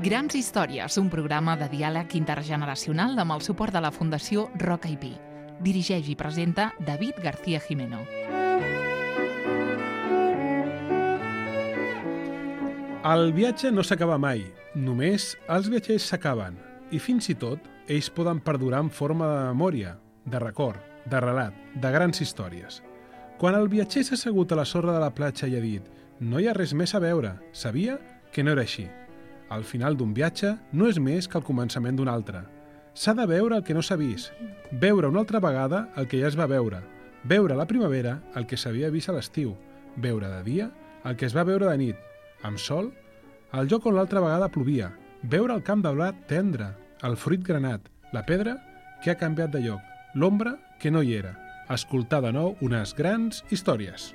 Grans històries, un programa de diàleg intergeneracional amb el suport de la Fundació Roca i Pi. Dirigeix i presenta David García Jimeno. El viatge no s'acaba mai, només els viatgers s'acaben, i fins i tot ells poden perdurar en forma de memòria, de record, de relat, de grans històries. Quan el viatger s'ha assegut a la sorra de la platja i ha dit «No hi ha res més a veure», sabia que no era així. Al final d'un viatge no és més que el començament d'un altre. S'ha de veure el que no s'ha vist, veure una altra vegada el que ja es va veure, veure a la primavera el que s'havia vist a l'estiu, veure de dia el que es va veure de nit, amb sol, el lloc on l'altra vegada plovia, veure el camp de blat tendre, el fruit granat, la pedra que ha canviat de lloc, l'ombra que no hi era, escoltar de nou unes grans històries.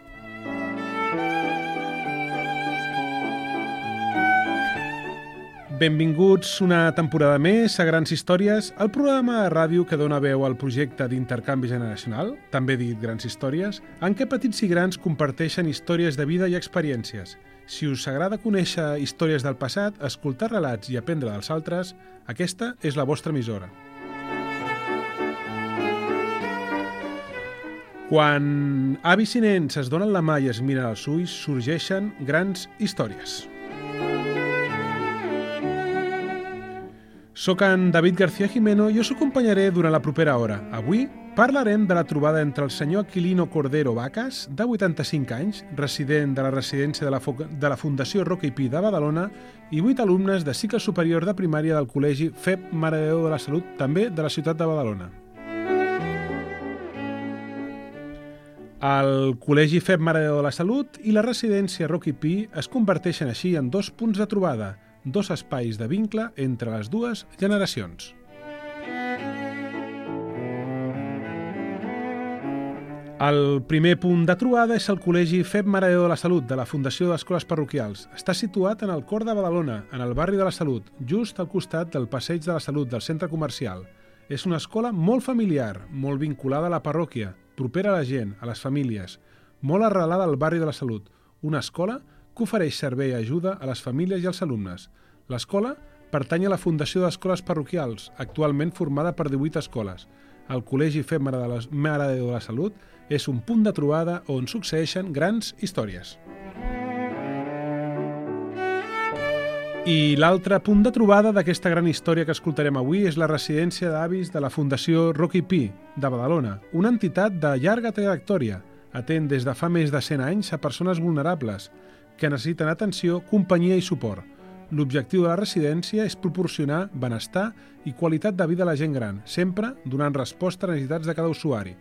Benvinguts una temporada més a Grans Històries, el programa de ràdio que dona veu al projecte d'intercanvi generacional, també dit Grans Històries, en què petits i grans comparteixen històries de vida i experiències. Si us agrada conèixer històries del passat, escoltar relats i aprendre dels altres, aquesta és la vostra emissora. Quan avis i nens es donen la mà i es miren als ulls, sorgeixen grans històries. Soc en David García Jimeno i us acompanyaré durant la propera hora. Avui parlarem de la trobada entre el senyor Aquilino Cordero Vacas, de 85 anys, resident de la residència de la Fundació Roca i Pi de Badalona, i 8 alumnes de cicle superior de primària del Col·legi FEB Mare de Déu de la Salut, també de la ciutat de Badalona. El Col·legi FEB Mare de Déu de la Salut i la residència Roca i Pi es converteixen així en dos punts de trobada, dos espais de vincle entre les dues generacions. El primer punt de trobada és el Col·legi FEB Mare de Déu de la Salut de la Fundació d'Escoles Parroquials. Està situat en el cor de Badalona, en el barri de la Salut, just al costat del Passeig de la Salut del centre comercial. És una escola molt familiar, molt vinculada a la parròquia, propera a la gent, a les famílies, molt arrelada al barri de la Salut. Una escola que ofereix servei i ajuda a les famílies i als alumnes. L'escola pertany a la Fundació d'Escoles Parroquials, actualment formada per 18 escoles. El Col·legi FEB Mare de Déu de la Salut és un punt de trobada on succeeixen grans històries. I l'altre punt de trobada d'aquesta gran història que escoltarem avui és la residència d'avis de la Fundació Roca i Pi, de Badalona, una entitat de llarga trajectòria, atén des de fa més de 100 anys a persones vulnerables, que necessiten atenció, companyia i suport. L'objectiu de la residència és proporcionar benestar i qualitat de vida a la gent gran, sempre donant resposta a les necessitats de cada usuari.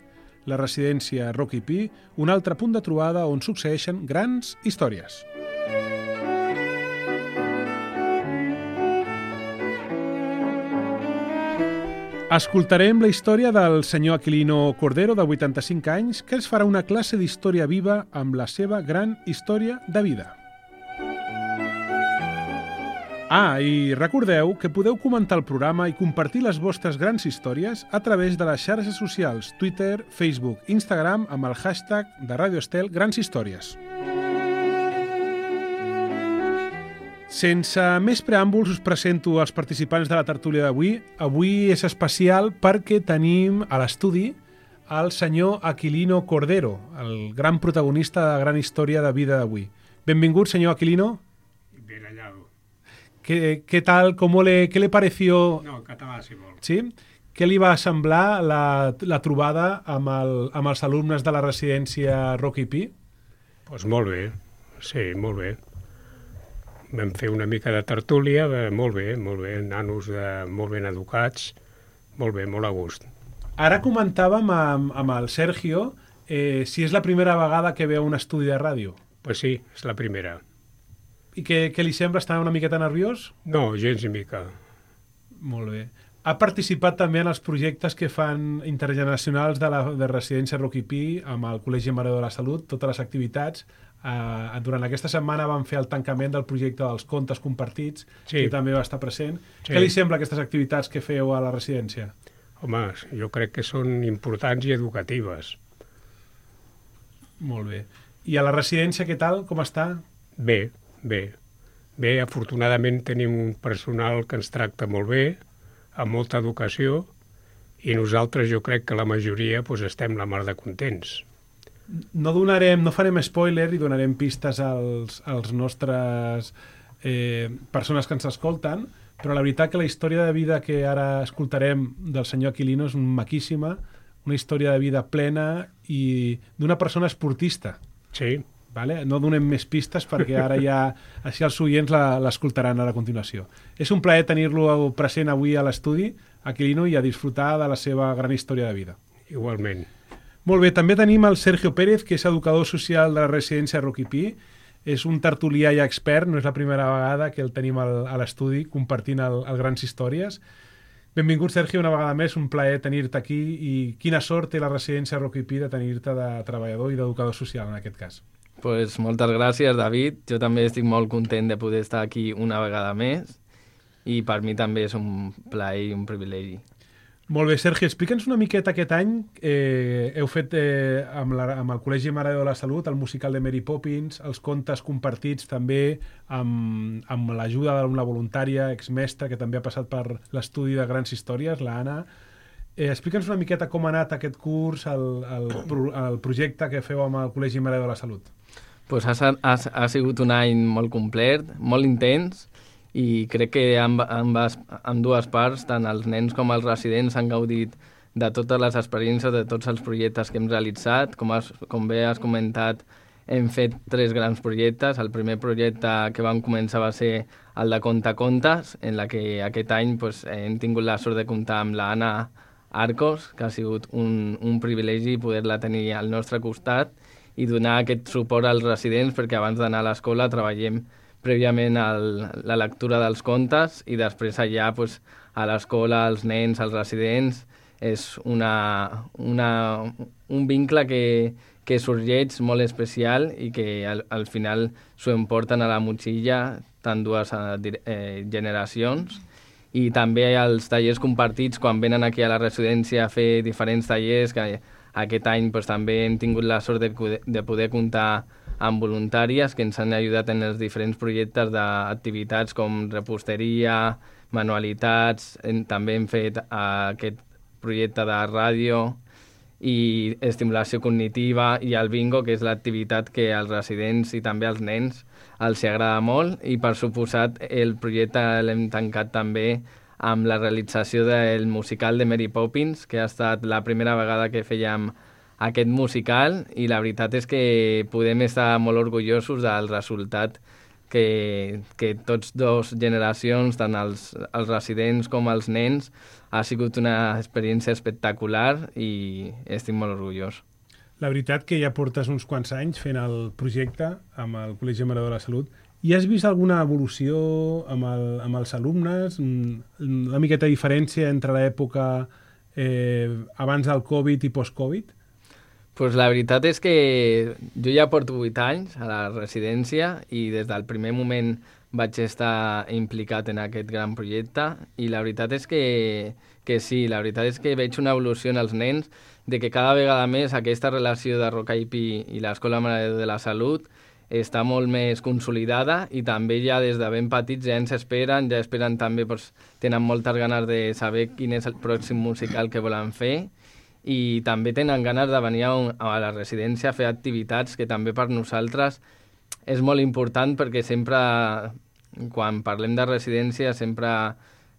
La residència Roca i Pi, un altre punt de trobada on succeeixen grans històries. Escoltarem la història del senyor Aquilino Cordero, de 85 anys, que ens farà una classe d'història viva amb la seva gran història de vida. I recordeu que podeu comentar el programa i compartir les vostres grans històries a través de les xarxes socials Twitter, Facebook, Instagram amb el hashtag de Radio Estel Grans Històries. Sense més preàmbuls us presento els participants de la tertúlia d'avui. Avui és especial perquè tenim a l'estudi el senyor Aquilino Cordero, el gran protagonista de la gran història de vida d'avui. Benvingut, senyor Aquilino. Bien hallado. ¿Qué tal? ¿Qué le pareció? No, català, si vol. Sí? Què li va semblar la trobada amb els alumnes de la residència Roca i Pi? Doncs molt bé, sí, molt bé. Vam fer una mica de tertúlia, molt bé, nanos molt ben educats, molt bé, molt a gust. Ara comentàvem amb el Sergio si és la primera vegada que veu un estudi de ràdio. Pues sí, és la primera. I què li sembla? Està una miqueta nerviós? No, gens ni mica. Molt bé. Ha participat també en els projectes que fan intergeneracionals de residència Roca i Pi amb el Col·legi Mare de Déu de la Salut, totes les activitats. Durant aquesta setmana vam fer el tancament del projecte dels contes compartits, sí, que també va estar present. Sí. Què li sembla aquestes activitats que feu a la residència? Home, jo crec que són importants i educatives. Molt bé. I a la residència què tal? Com està? Bé, bé. Bé, afortunadament tenim un personal que ens tracta molt bé, amb molta educació, i nosaltres jo crec que la majoria estem la mar de contents. No farem spoiler i donarem pistes als nostres persones que ens escolten, però la veritat que la història de vida que ara escoltarem del senyor Aquilino és maquíssima, una història de vida plena i d'una persona esportista. Sí. Vale? No donem més pistes perquè ara ja així els oients l'escoltaran a continuació. És un plaer tenir-lo present avui a l'estudi, Aquilino, i a disfrutar de la seva gran història de vida. Igualment. Molt bé, també tenim el Sergio Pérez, que és educador social de la residència Rocky Pi. És un tertulià i expert, no és la primera vegada que el tenim a l'estudi compartint el Grans Històries. Benvingut, Sergio, una vegada més, un plaer tenir-te aquí i quina sort té la residència Rocky Pi de tenir-te de treballador i d'educador social en aquest cas. Pues moltes gràcies, David. Jo també estic molt content de poder estar aquí una vegada més i per mi també és un plaer i un privilegi. Molt bé, Sergi, explica'ns una miqueta aquest any. Heu fet amb el Col·legi Mare de la Salut el musical de Mary Poppins, els contes compartits també amb l'ajuda d'una voluntària exmestra que també ha passat per l'estudi de Grans Històries, l'Anna. Explica'ns una miqueta com ha anat aquest curs, el projecte que feu amb el Col·legi Mare de la Salut. Pues ha sigut un any molt complet, molt intens, i crec que amb dues parts, tant els nens com els residents han gaudit de totes les experiències, de tots els projectes que hem realitzat. Com bé has comentat, hem fet 3 grans projectes. El primer projecte que vam començar va ser el de Contacontes, en la que aquest any hem tingut la sort de comptar amb l'Anna Arcos, que ha sigut un privilegi poder-la tenir al nostre costat i donar aquest suport als residents, perquè abans d'anar a l'escola treballem prèviament la lectura dels contes i després allà a l'escola, als nens, als residents, és un vincle que sorgeix molt especial i que al final s'ho emporten a la motxilla tant dues generacions. I també els tallers compartits, quan venen aquí a la residència a fer diferents tallers, que aquest any també hem tingut la sort de poder comptar amb voluntàries que ens han ajudat en els diferents projectes d'activitats com reposteria, manualitats, també hem fet aquest projecte de ràdio i estimulació cognitiva i el bingo, que és l'activitat que als residents i també als nens els agrada molt, i per suposat el projecte l'hem tancat també amb la realització del musical de Mary Poppins, que ha estat la primera vegada que fèiem aquest musical, i la veritat és que podem estar molt orgullosos del resultat que tots dos generacions, tant els residents com els nens, ha sigut una experiència espectacular i estic molt orgullós. La veritat que ja portes uns quants anys fent el projecte amb el Col·legi Mare de la Salut. I has vist alguna evolució amb els alumnes? Una miqueta diferència entre l'època abans del Covid i post-Covid? Pues la veritat és que jo ja porto 8 anys a la residència i des del primer moment vaig estar implicat en aquest gran projecte, i la veritat és que sí, la veritat és que veig una evolució en els nens, de que cada vegada més aquesta relació de Rocky Pi i l'Escola Mare de la Salut està molt més consolidada, i també ja des de ben petits ja ens esperen, també, tenen moltes ganes de saber quin és el pròxim musical que volen fer, i també tenen ganes de venir a la residència a fer activitats que també per nosaltres és molt important, perquè sempre, quan parlem de residència, sempre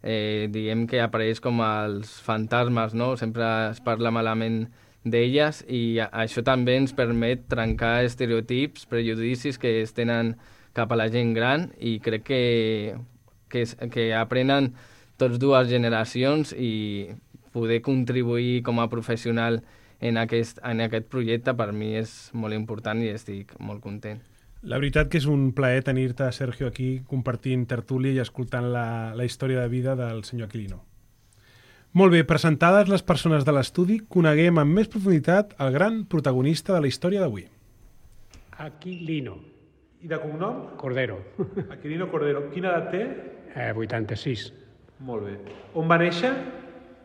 diem que apareix com els fantasmes, no? Sempre es parla malament d'elles, i això també ens permet trencar estereotips, prejudicis que es tenen cap a la gent gran, i crec que aprenen tots dues generacions, i poder contribuir com a professional en aquest projecte per mi és molt important i estic molt content. La veritat que és un plaer tenir-te, Sergio, aquí compartint tertúlia i escoltant la història de vida del senyor Aquilino. Molt bé, presentades les persones de l'estudi, coneguem amb més profunditat el gran protagonista de la història d'avui. Aquilino. I de cognom? Cordero. Aquilino Cordero. Quina edat té? 86. Molt bé. On va néixer?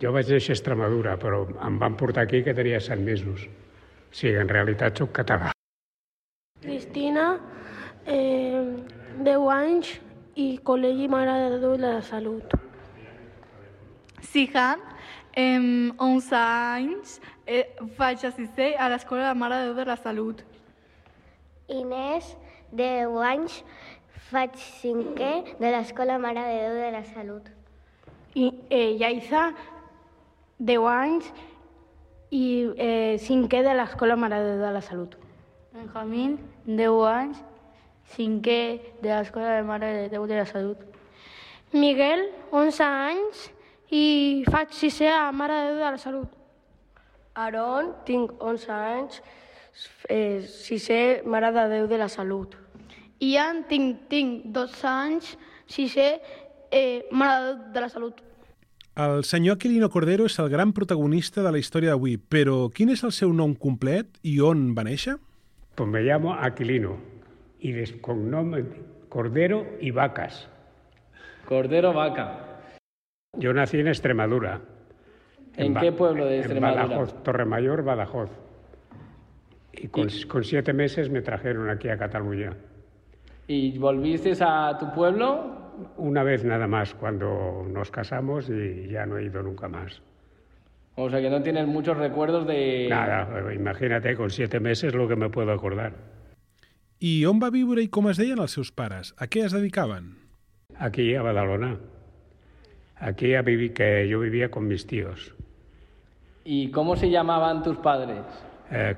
Jo vaig néixer a Extremadura, però em van portar aquí que tenia 7 mesos. O sigui, en realitat soc català. Cristina, 10 anys, i Col·legi Mare de Déu de la Salut. Sihan, 11 anys, faig a sisè a l'Escola de Mare de Déu de la Salut. Inés, 10 anys, faig 5è de l'Escola Mare de Déu de la Salut. I Yaisa, 10 anys i 5è de l'Escola Mare de Déu de la Salut. Benjamín, 10 anys, 5è de l'Escola de Mare de Déu de la Salut. Miguel, 11 anys i faig 6è a Mare de Déu de la Salut. Aaron, tinc 11 anys, 6è Mare de Déu de la Salut. Ian, tinc 12 anys, 6è Mare de Déu de la Salut. El senyor Aquilino Cordero és el gran protagonista de la història d'avui, però quin és el seu nom complet i on va néixer? Pues me llamo Aquilino y de cognom Cordero y Vacas. Cordero Vaca. Yo nací en Extremadura. ¿En qué pueblo de Extremadura? En Badajoz, Torremayor, Badajoz. Y con 7 meses me trajeron aquí a Cataluña. ¿Y volviste a tu pueblo? Una vez nada más, cuando nos casamos, y ya no he ido nunca más. O sea que no tienes muchos recuerdos de... Nada, imagínate, con 7 meses lo que me puedo acordar. I on va viure i com es deien els seus pares? A què es dedicaven? Aquí, a Badalona. Aquí que yo vivía con mis tíos. ¿Y cómo se llamaban tus padres?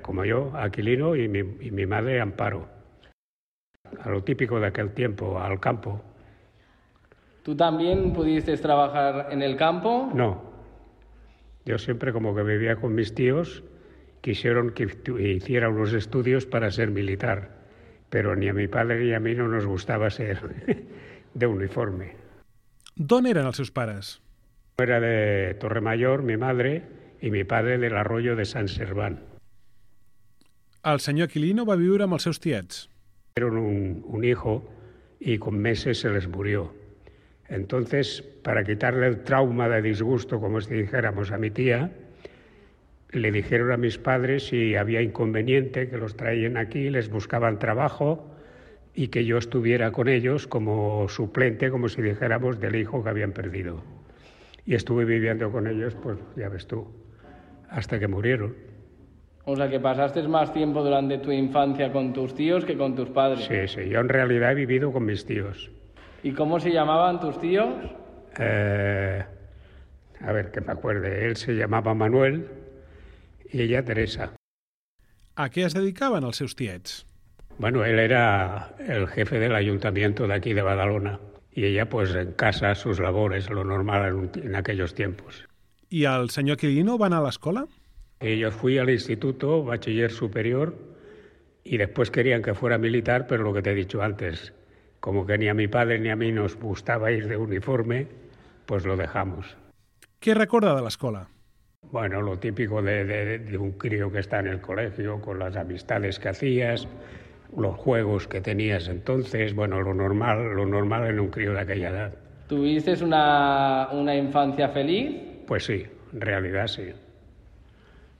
Como yo, Aquilino, y mi madre, Amparo. A lo típico de aquel tiempo, al campo. ¿Tú también pudiste trabajar en el campo? No. Yo siempre, como que vivía con mis tíos, quisieron que hiciera unos estudios para ser militar, pero ni a mi padre ni a mí no nos gustaba ser de uniforme. D'on eren els seus pares? Era de Torremayor, mi madre, y mi padre del Arroyo de San Serván. El senyor Aquilino va viure amb els seus tiets. Tuvieron un hijo y con meses se les murió. Entonces, para quitarle el trauma de disgusto, como si dijéramos, a mi tía, le dijeron a mis padres si había inconveniente, que los traían aquí, les buscaban trabajo y que yo estuviera con ellos como suplente, como si dijéramos, del hijo que habían perdido. Y estuve viviendo con ellos, pues ya ves tú, hasta que murieron. O sea que pasaste más tiempo durante tu infancia con tus tíos que con tus padres. Sí, yo en realidad he vivido con mis tíos. ¿Y cómo se llamaban tus tíos? A ver, que me acuerde. Él se llamaba Manuel y ella Teresa. A què es dedicaven els seus tiets? Bueno, él era el jefe del ayuntamiento de aquí de Badalona y ella pues en casa sus labores, lo normal en aquellos tiempos. I el senyor Aquilino va anar a l'escola? Y yo fui al instituto, bachiller superior, y después querían que fuera militar, pero lo que te he dicho antes, como que ni a mi padre ni a mí nos gustaba ir de uniforme, pues lo dejamos. Què recorda de l'escola? Bueno, lo típico de un crío que está en el colegio, con las amistades que hacías, los juegos que tenías entonces, bueno, lo normal en un crío de aquella edad. ¿Tuviste una infancia feliz? Pues sí, en realidad sí.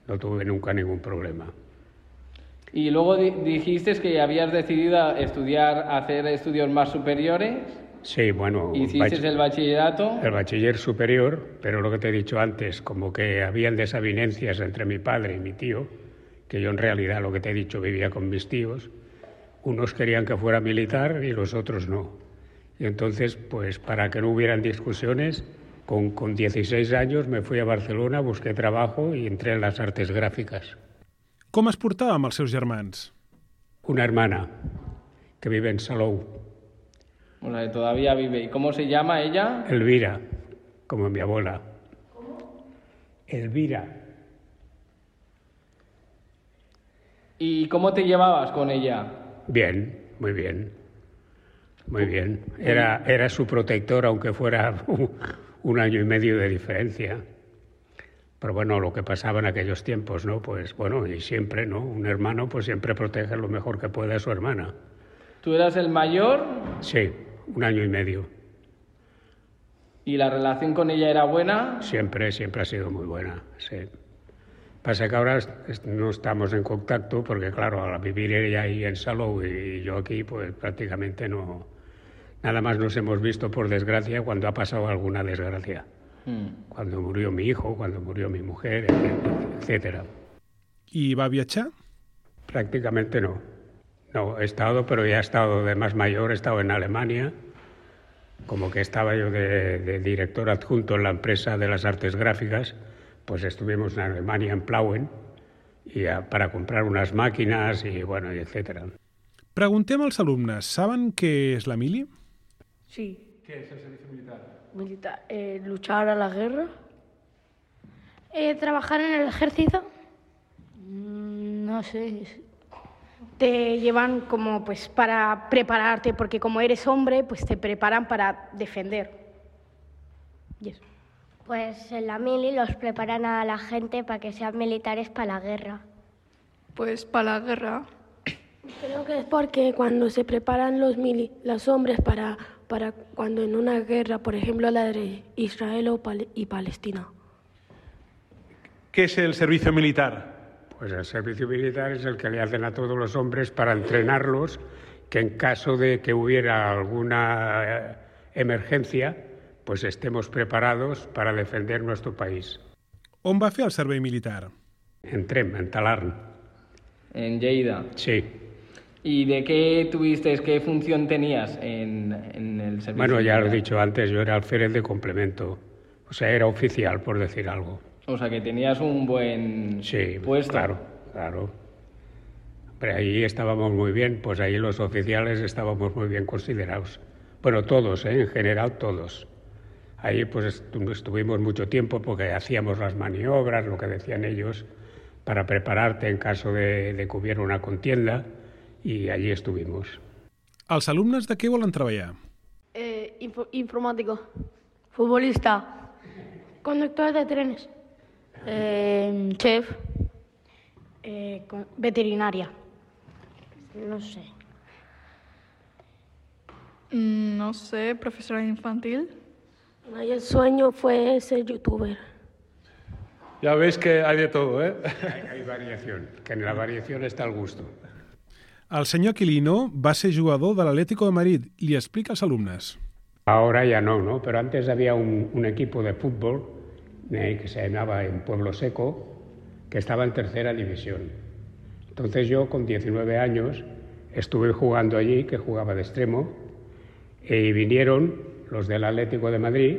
No tuve nunca ningún problema. Y luego dijiste que habías decidido hacer estudios más superiores. Sí, bueno... ¿Hiciste el bachillerato? El bachiller superior, pero lo que te he dicho antes, como que habían desavenencias entre mi padre y mi tío, que yo en realidad, lo que te he dicho, vivía con mis tíos. Unos querían que fuera militar y los otros no. Y entonces, pues para que no hubieran discusiones, con 16 años me fui a Barcelona, busqué trabajo y entré en las artes gráficas. Com es portava amb els seus germans? Una hermana que vive en Salou. O sea, todavía vive. ¿Y cómo se llama ella? Elvira, como mi abuela. ¿Cómo? Elvira. ¿Y cómo te llevabas con ella? Bien, muy bien. Muy bien. Era su protector, aunque fuera 1 año y medio de diferencia. Pero bueno, lo que pasaba en aquellos tiempos, ¿no? Pues bueno, y siempre, ¿no? Un hermano pues siempre protege lo mejor que puede a su hermana. ¿Tú eras el mayor? Sí, 1 año y medio. ¿Y la relación con ella era buena? Siempre ha sido muy buena, sí. Pasa que ahora no estamos en contacto porque, claro, al vivir ella ahí en Salou y yo aquí, pues prácticamente no Nada más nos hemos visto, por desgracia, cuando ha pasado alguna desgracia. Cuando murió mi hijo, cuando murió mi mujer, etcétera. I va viatjar? Prácticamente no. No, he estado, pero ya he estado de más mayor, he estado en Alemania, como que estaba yo de director adjunto en la empresa de las artes gráficas, pues estuvimos en Alemania, en Plauen, para comprar unas máquinas y bueno, etcétera. Preguntem als alumnes, saben què és la mili? Sí. Què és el servicio militar? Militar. Luchar a la guerra. ¿Trabajar en el ejército? No sé. Te llevan como pues para prepararte, porque como eres hombre, pues te preparan para defender. Y eso. Pues en la mili los preparan a la gente para que sean militares para la guerra. Pues para la guerra. Creo que es porque cuando se preparan los hombres para cuando en una guerra, por ejemplo la de Israel y Palestina. ¿Qué es el servicio militar? Pues el servicio militar es el que le hacen a todos los hombres para entrenarlos, que en caso de que hubiera alguna emergencia, pues estemos preparados para defender nuestro país. On va fer el servei militar? En Trem, en Talarn. En Lleida. Sí. ¿Y de qué tuviste, qué función tenías en el servicio? Bueno, ya lo he militar? dicho antes, yo era alférez de complemento. O sea, era oficial, por decir algo. O sea, que tenías un buen puesto. Claro. Pero ahí estábamos muy bien, pues ahí los oficiales estábamos muy bien considerados. Bueno, todos, en general todos. Ahí pues estuvimos mucho tiempo porque hacíamos las maniobras, lo que decían ellos, para prepararte en caso de que hubiera una contienda, y allí estuvimos. Els alumnes de què volen treballar? Informático. Futbolista. Conductor de trenes. Chef. Veterinaria. No sé. No sé, profesora infantil. Y el sueño fue ser youtuber. Ya veis que hay de todo, ¿eh? Hay variación, que en la variación está el gusto. El senyor Aquilino va ser jugador de l'Atlético de Madrid. Li explica als alumnes. Ahora ya no, pero antes había un equipo de fútbol que se llamaba en Pueblo Seco, que estaba en tercera división. Entonces yo, con 19 años, estuve jugando allí, que jugaba de extremo, y vinieron los del Atlético de Madrid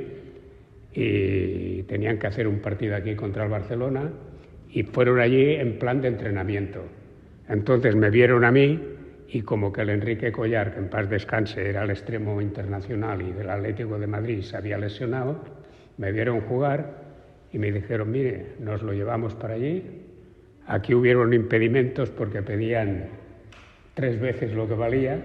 y tenían que hacer un partido aquí contra el Barcelona y fueron allí en plan de entrenamiento. Entonces me vieron a mí y como que el Enrique Collar, que en paz descanse, era el extremo internacional y del Atlético de Madrid, se había lesionado, me vieron jugar y me dijeron, mire, nos lo llevamos para allí. Aquí hubieron impedimentos porque pedían 3 veces lo que valía,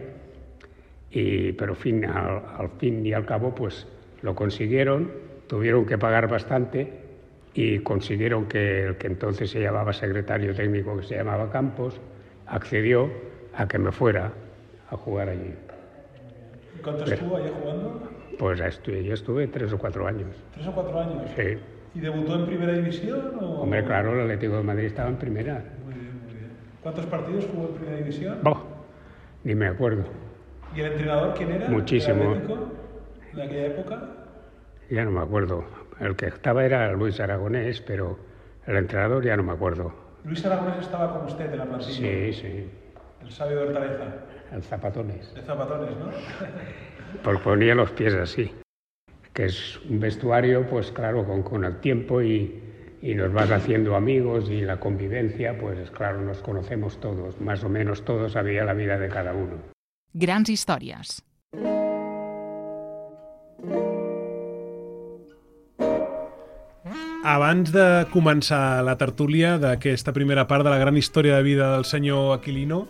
pero al fin y al cabo pues lo consiguieron, tuvieron que pagar bastante y consiguieron que el que entonces se llamaba secretario técnico, que se llamaba Campos, accedió a que me fuera a jugar allí. ¿Cuánto estuvo allí jugando? Pues yo estuve 3 o 4 años. ¿3 o 4 años? Sí. ¿Y debutó en primera división? O... Hombre, claro, el Atlético de Madrid estaba en primera. Muy bien. ¿Cuántos partidos jugó en primera división? Ni me acuerdo. ¿Y el entrenador quién era? Muchísimo. ¿El Atlético en aquella época? Ya no me acuerdo. El que estaba era Luis Aragonés, pero el entrenador ya no me acuerdo. ¿Luis Aragonés estaba con usted en la plantilla? Sí. El sabio de Hortaleza. El Zapatones. El Zapatones, ¿no? Porque ponía los pies así. Que es un vestuario, pues claro, con el tiempo y nos vas haciendo amigos y la convivencia, pues claro, nos conocemos todos. Más o menos todos sabía la vida de cada uno. Grans històries. Abans de començar la tertúlia d'aquesta primera part de la gran història de vida del senyor Aquilino,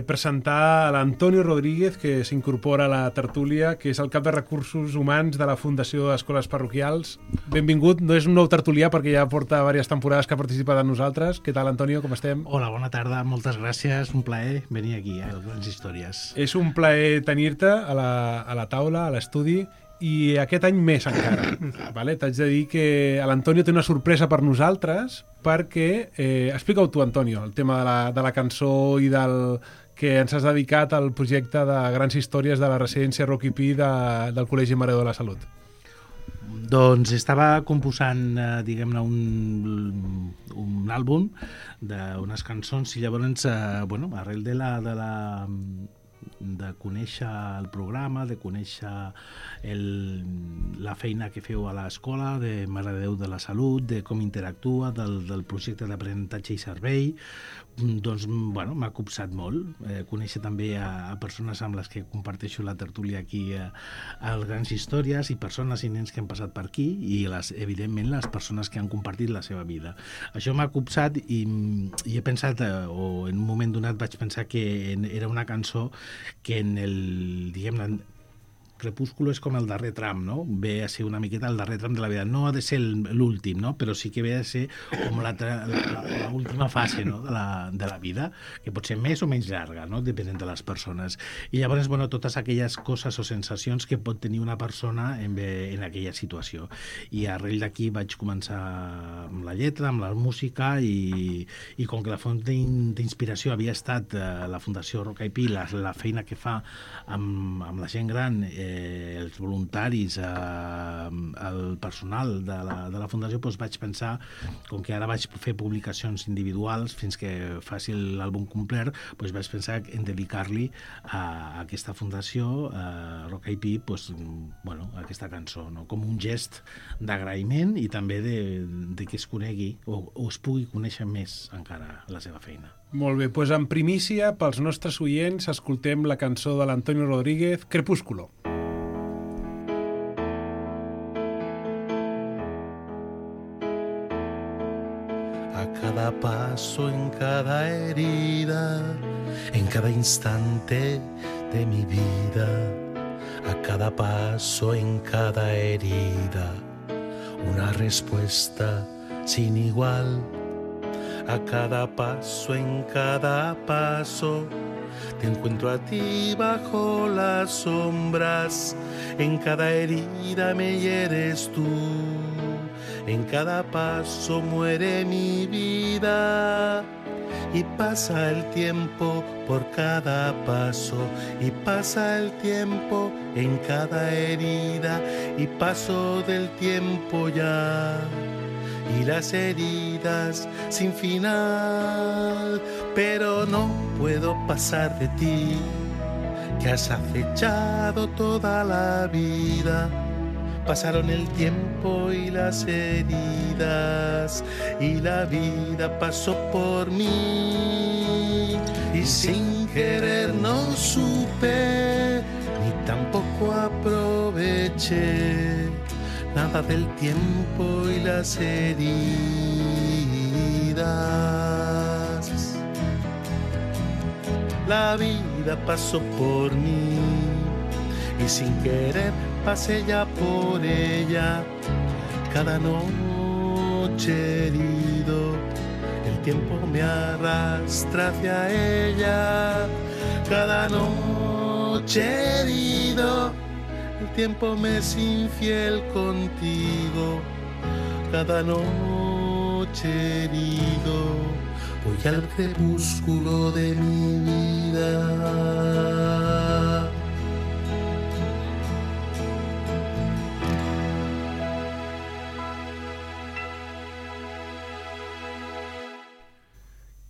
presentar a l'Antonio Rodríguez, que s'incorpora a la tertúlia, que és el cap de recursos humans de la Fundació d'Escoles Parroquials. Benvingut, no és un nou tertulià perquè ja porta diverses temporades que ha participat amb nosaltres. Què tal, Antonio, com estem? Hola, bona tarda, moltes gràcies, un plaer venir aquí a les grans històries. És un plaer tenir-te a la taula, a l'estudi, i aquest any més encara. Vale? T'haig de dir que l'Antonio té una sorpresa per nosaltres perquè... explica-ho tu, Antonio, el tema de la cançó i del que ens has dedicat al projecte de grans històries de la residència Rocky Pi del Col·legi Mare de la Salut. Doncs estava composant, diguem-ne, un àlbum d'unes cançons i llavors, arrel de conèixer el programa, de conèixer la feina que feu a l'escola de Mare de Déu de la Salut, de com interactua, del projecte d'aprenentatge i servei, doncs, m'ha copsat molt. Conèixer també a persones amb les que comparteixo la tertúlia aquí a Grans Històries i persones i nens que han passat per aquí i, evidentment, les persones que han compartit la seva vida. Això m'ha copsat i he pensat, o en un moment donat vaig pensar que era una cançó que en el, diguem-ne, Crepúsculo és com el darrer tram, no? Ve a ser una miqueta el darrer tram de la vida. No ha de ser l'últim, no? Però sí que ve a ser com l'última fase, no? de la vida, que pot ser més o menys llarga, no? Depenent de les persones. I llavors, totes aquelles coses o sensacions que pot tenir una persona en aquella situació. I arrel d'aquí vaig començar amb la lletra, amb la música i com que la font d'inspiració havia estat la Fundació Roca i Pi, la feina que fa amb la gent gran, els voluntaris, el personal de la Fundació, doncs vaig pensar, com que ara vaig fer publicacions individuals fins que faci l'àlbum complet, doncs vaig pensar en dedicar-li a aquesta fundació, Roca i Pi, aquesta cançó, no? Com un gest d'agraïment i també de que es conegui o es pugui conèixer més encara la seva feina. Molt bé, doncs en primícia, pels nostres oients, escoltem la cançó de l'Antonio Rodríguez, Crepúsculo. A cada paso, en cada herida, en cada instante de mi vida, a cada paso, en cada herida, una respuesta sin igual. A cada paso, en cada paso, te encuentro a ti bajo las sombras. En cada herida me hieres tú. En cada paso muere mi vida. Y pasa el tiempo por cada paso. Y pasa el tiempo en cada herida. Y paso del tiempo ya. Y las heridas sin final, pero no puedo pasar de ti, que has acechado toda la vida. Pasaron el tiempo y las heridas, y la vida pasó por mí, y sin querer no supe, ni tampoco aproveché nada del tiempo y las heridas. La vida pasó por mí y sin querer pasé ya por ella. Cada noche herido, el tiempo me arrastra hacia ella. Cada noche herido, el tiempo me es infiel contigo. Cada noche herido, voy al crepúsculo de mi vida.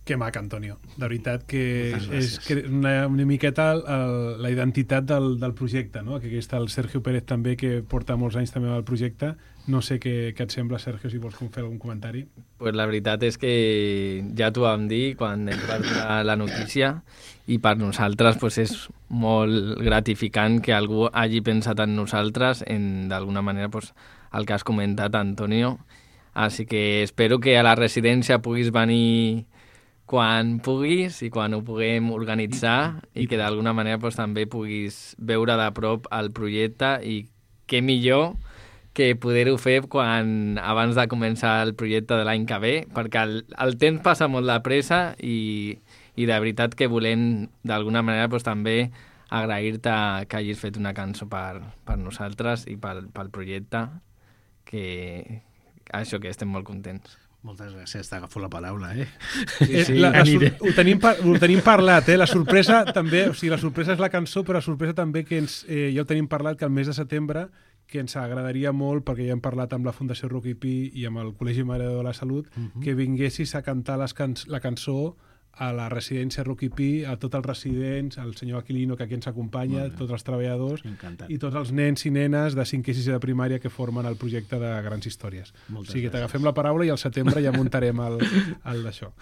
Que maca, Antonio. De veritat que és una miqueta la identitat del projecte, no? Que aquí està el Sergio Pérez també, que porta molts anys també al projecte. No sé què et sembla, Sergio, si vols fer algun comentari. Pues la veritat és que ja t'ho vam dir quan ens va donar la notícia i per nosaltres pues, és molt gratificant que algú hagi pensat en nosaltres, d'alguna manera pues, el que has comentat, Antonio. Així que espero que a la residència puguis venir quan puguis i quan ho puguem organitzar i que d'alguna manera pues, també puguis veure de prop el projecte i què millor que poder-ho fer abans de començar el projecte de l'any que ve, perquè el temps passa molt de pressa i de veritat que volem d'alguna manera pues, també agrair-te que hagis fet una cançó per nosaltres i pel projecte, que això, que estem molt contents. Moltes gràcies, t'agafo la paraula, Sí. Ho tenim parlat, la sorpresa també, o sigui, la sorpresa és la cançó, però la sorpresa també que ja ho tenim parlat, que el mes de setembre, que ens agradaria molt, perquè ja hem parlat amb la Fundació Rocky Pi i amb el Col·legi Mare de Déu de la Salut, que vinguessis a cantar la cançó a la residència Rocky Pi, a tots els residents, al senyor Aquilino, que aquí ens acompanya, tots els treballadors, i tots els nens i nenes de 5è i 6è de primària que formen el projecte de Grans Històries. O sigui, t'agafem la paraula i al setembre ja muntarem el d'això.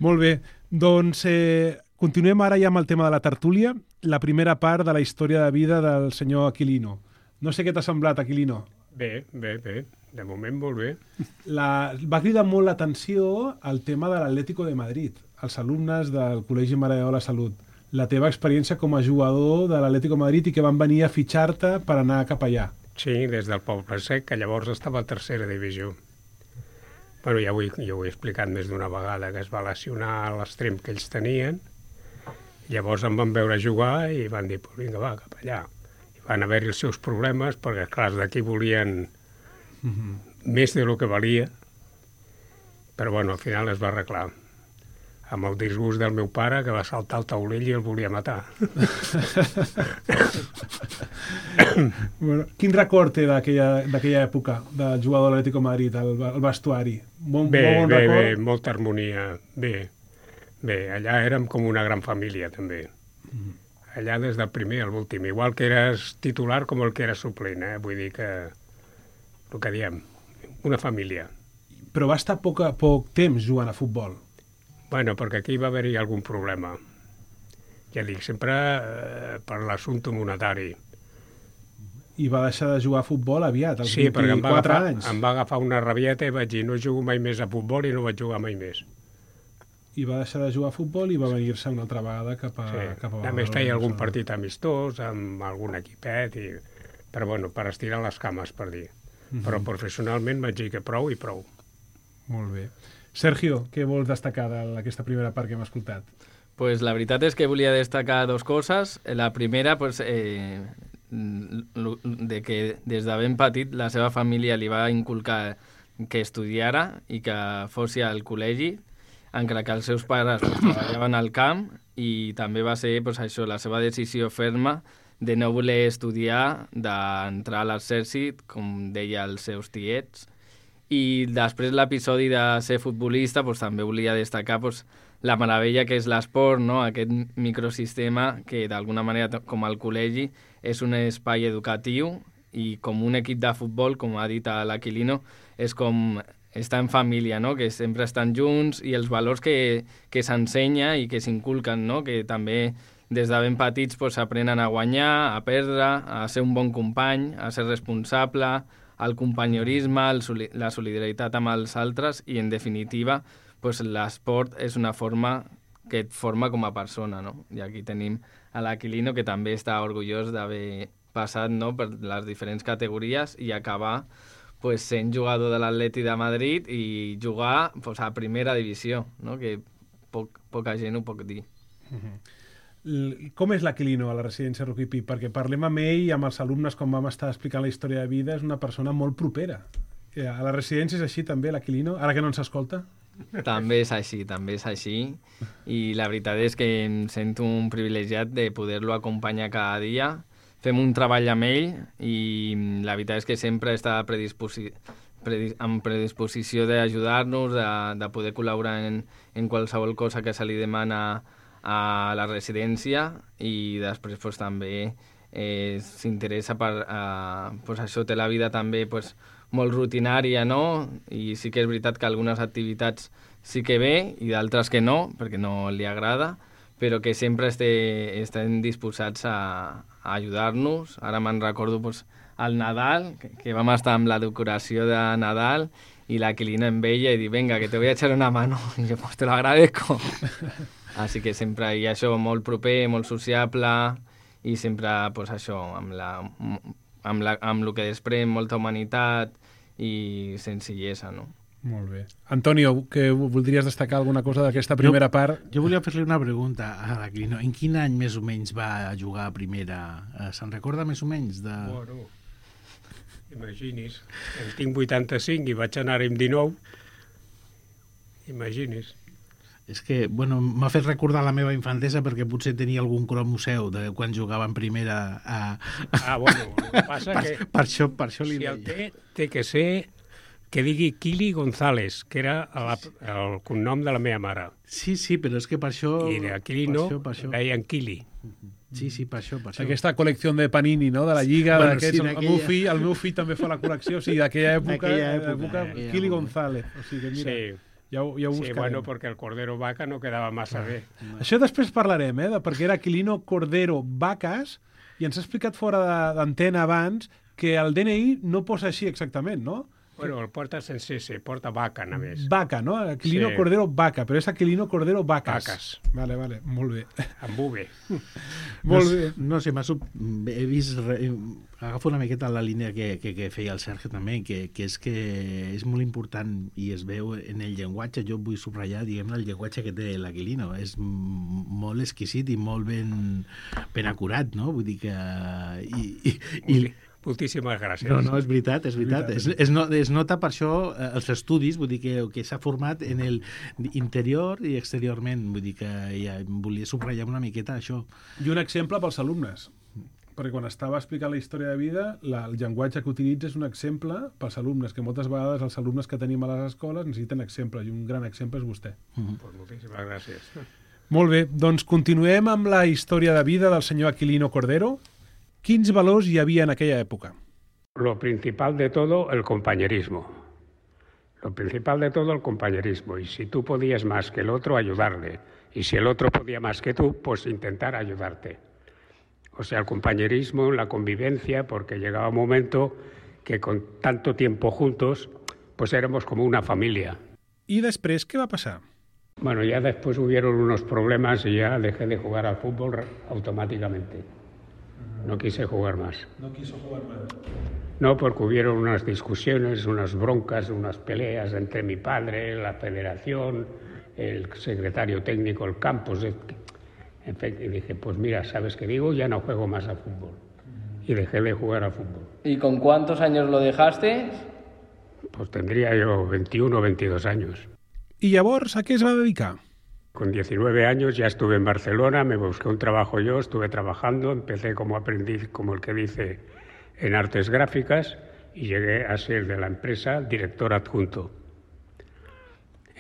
Molt bé, doncs continuem ara ja amb el tema de la tertúlia, la primera part de la història de vida del senyor Aquilino. No sé què t'ha semblat, Aquilino. Bé. De moment molt bé. Va cridar molt l'atenció el tema de l'Atlético de Madrid, els alumnes del Col·legi Mare de Déu de la Salut. La teva experiència com a jugador de l'Atlético de Madrid i que van venir a fitxar-te per anar cap allà. Sí, des del Poble Sec, que llavors estava a 3a divisió. Bueno, ja ho he explicat més d'una vegada, que es va lesionar l'extrem que ells tenien. Llavors em van veure jugar i van dir, pues vinga, va, cap allà. I van haver-hi els seus problemes, perquè, clar, d'aquí volien més de lo que valia, però bueno, al final es va arreglar amb el disgust del meu pare, que va saltar al taulell i el volia matar. Bueno, quin record té d'aquella època del jugador de l'Atlético de Madrid, el vestuari? Bé, molta harmonia, bé, allà érem com una gran família també. Allà des del primer a l'últim, igual que eres titular com el que era suplent, vull dir que el que diem, una família. Però va estar poc temps jugant a futbol. Bueno, perquè aquí va haver-hi algun problema. Ja dic, sempre per l'assumpte monetari. I va deixar de jugar a futbol aviat, als 24 anys. Em va agafar una rabieta i vaig dir, no jugo mai més a futbol i no vaig jugar mai més. I va deixar de jugar a futbol i va venir-se una altra vegada cap a a més feia algun partit amistós amb algun equipet, però bueno, per estirar les cames, per dir. Però professionalment vaig dir que prou i prou. Molt bé. Sergio, què vols destacar d'aquesta primera part que hem escoltat? Pues la veritat és que volia destacar dos coses. La primera, pues, de que des de ben petit la seva família li va inculcar que estudiara i que fos al col·legi, encara que els seus pares treballaven al camp, i també va ser pues, això, la seva decisió ferma de no voler estudiar, d'entrar a l'exèrcit, com deia els seus tiets. I després l'episodi de ser futbolista pues, també volia destacar pues, la meravella que és l'esport, no? Aquest microsistema que d'alguna manera, com el col·legi, és un espai educatiu i com un equip de futbol, com ha dit l'Aquilino, és com estar en família, no? Que sempre estan junts i els valors que s'ensenya i que s'inculquen, no? Que també des de ben petits s'aprenen a guanyar, a perdre, a ser un bon company, a ser responsable, el companyorisme, la solidaritat amb els altres i, en definitiva, l'esport és una forma que et forma com a persona, no? I aquí tenim a l'Aquilino, que també està orgullós d'haver passat, no?, per les diferents categories i acabar sent jugador de l'Atleti de Madrid i jugar a primera divisió, no? Que poca gent ho pot dir. Com és l'Aquilino a la residència Rocky Pi? Perquè parlem amb ell i amb els alumnes, com vam estar explicant la història de vida, és una persona molt propera. A la residència és així també, l'Aquilino? Ara que no ens escolta? També és així. I la veritat és que em sento un privilegiat de poder-lo acompanyar cada dia. Fem un treball amb ell i la veritat és que sempre està amb predisposició d'ajudar-nos, de poder col·laborar en qualsevol cosa que se li demana a la residència, i després també s'interessa per això. Té la vida també molt rutinària, no? I sí que és veritat que algunes activitats sí que ve i d'altres que no, perquè no li agrada, però que sempre estem disposats a ajudar-nos. Ara me'n recordo al Nadal, que vam estar amb la decoració de Nadal, i l'Aquilino em veia i diu, venga, que te voy a echar una mano. I jo, te lo agradezco. Així que sempre hi ha això molt proper, molt sociable, i sempre això, amb el que desprèn molta humanitat i senzillesa, no? Molt bé. Antonio, que voldries destacar alguna cosa d'aquesta primera part? Jo volia fer-li una pregunta a l'Aquilino. En quin any més o menys va jugar a primera? Se'n recorda més o menys? Bueno, imagini's, en tinc 85 i vaig anar amb 19. Imagini's. És que, bueno, m'ha fet recordar la meva infantesa perquè potser tenia algun cromuseu de quan jugava en primera Bueno, el que passa que... Per això li deia. deia. Té que ser que digui Kili González, que era el cognom de la meva mare. Sí, però és que per això... I d'Aquilino deien Kili. Sí, per això. Aquesta col·lecció de Panini, no?, de la Lliga, Bueno, d'aquests... sí, El meu fill també fa la col·lecció, o sigui, d'aquella època, Kili González. O sigui, mira, ja ho buscarem. Sí, bueno, perquè el Cordero Vaca no quedava massa bé. Això després parlarem, perquè era Aquilino Cordero Vacas, i ens ha explicat fora d'antena abans que el DNI no posa així exactament, no? Bueno, el porta sense C, porta Vaca, només. Vaca, no? Aquilino Cordero Vaca, però és Aquilino Cordero Vacas. Vacas. Vale, molt bé. Amb V. Molt bé. No sé, he vist... Agafo una miqueta la línia que feia el Sergio també, que és que és molt important i es veu en el llenguatge. Jo vull subratllar, diguem-ne, el llenguatge que té l'Aquilino. És molt exquisit i molt ben acurat, no? Vull dir que... Moltíssimes gràcies. No, és veritat. Es nota per això els estudis, vull dir que s'ha format en el interior i exteriorment, vull dir que ja volia subratllar una miqueta això. I un exemple pels alumnes, perquè quan estava explicant la història de vida, el llenguatge que utilitza és un exemple pels alumnes, que moltes vegades els alumnes que tenim a les escoles necessiten exemple, i un gran exemple és vostè. Pues moltíssimes gràcies. Molt bé, doncs continuem amb la història de vida del senyor Aquilino Cordero. Quins valors hi havia en aquella època? Lo principal de todo, el compañerismo. Lo principal de todo, el compañerismo. Y si tú podías más que el otro, ayudarle. Y si el otro podía más que tú, pues intentar ayudarte. O sea, el compañerismo, la convivencia, porque llegaba un momento que con tanto tiempo juntos, pues éramos como una familia. ¿Y después qué va a pasar? Bueno, ya después hubieron unos problemas y ya dejé de jugar al fútbol automáticamente. No quise jugar más. ¿No quiso jugar más? No, porque hubieron unas discusiones, unas broncas, unas peleas entre mi padre, la federación, el secretario técnico, el campus. En fin, y dije, pues mira, ¿sabes qué digo? Ya no juego más al fútbol. Y dejé de jugar al fútbol. ¿Y con cuántos años lo dejaste? Pues tendría yo 21 o 22 años. ¿Y llavors a qué se va a dedicar? Con 19 años ya estuve en Barcelona, me busqué un trabajo yo, estuve trabajando, empecé como aprendiz, como el que dice, en artes gráficas y llegué a ser de la empresa director adjunto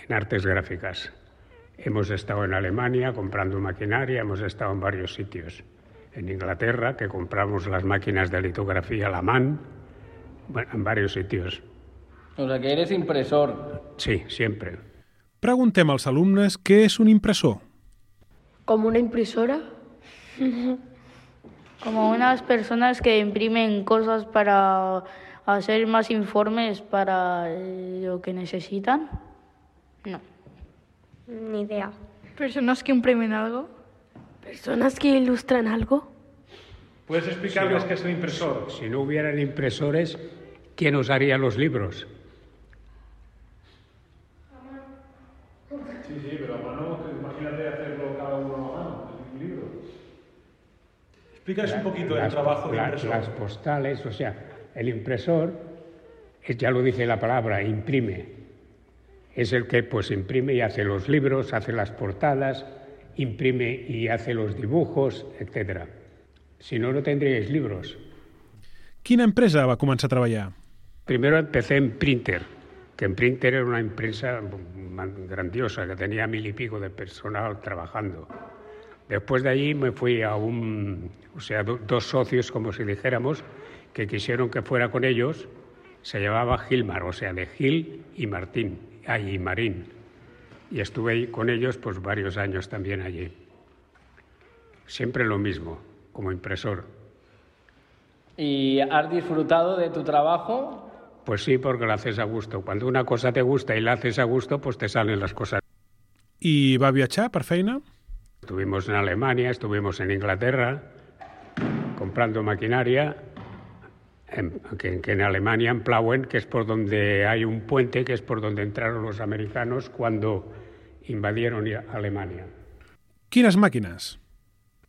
en artes gráficas. Hemos estado en Alemania comprando maquinaria, hemos estado en varios sitios. En Inglaterra, que compramos las máquinas de litografía Laman, bueno, en varios sitios. O sea, que eres impresor. Sí, siempre. Preguntem als alumnes què és un impressor. ¿Como una impresora? Como unas personas que imprimen cosas para hacer más informes para lo que necesitan. No. Ni idea. ¿Personas que imprimen algo? ¿Personas que ilustran algo? ¿Puedes explicarles qué es un impresor? Si no hubieran impresores, ¿quién os haría los libros? Sí, pero a mano, imagínate hacerlo cada uno a mano, un libro. Explícanos un poquito el trabajo de impresor. Las postales, o sea, el impresor, ya lo dice la palabra, imprime. Es el que pues imprime y hace los libros, hace las portadas, imprime y hace los dibujos, etc. Si no, no tendríais libros. Quina empresa va començar a treballar? Primero empecé en Printer, que en Printer era una empresa grandiosa, que tenía 1000 y pico de personal trabajando. Después de allí me fui a dos socios, como si dijéramos, que quisieron que fuera con ellos. Se llamaba Gilmar, o sea, de Gil y Marín. Y estuve ahí con ellos pues varios años también allí. Siempre lo mismo, como impresor. ¿Y has disfrutado de tu trabajo? Pues sí, porque lo haces a gusto. Cuando una cosa te gusta y la haces a gusto, pues te salen las cosas. ¿Y va viatjar per feina? Estuvimos en Alemania, estuvimos en Inglaterra, comprando maquinaria. que en Alemania, en Plauen, que es por donde hay un puente, que es por donde entraron los americanos cuando invadieron Alemania. Quines màquines?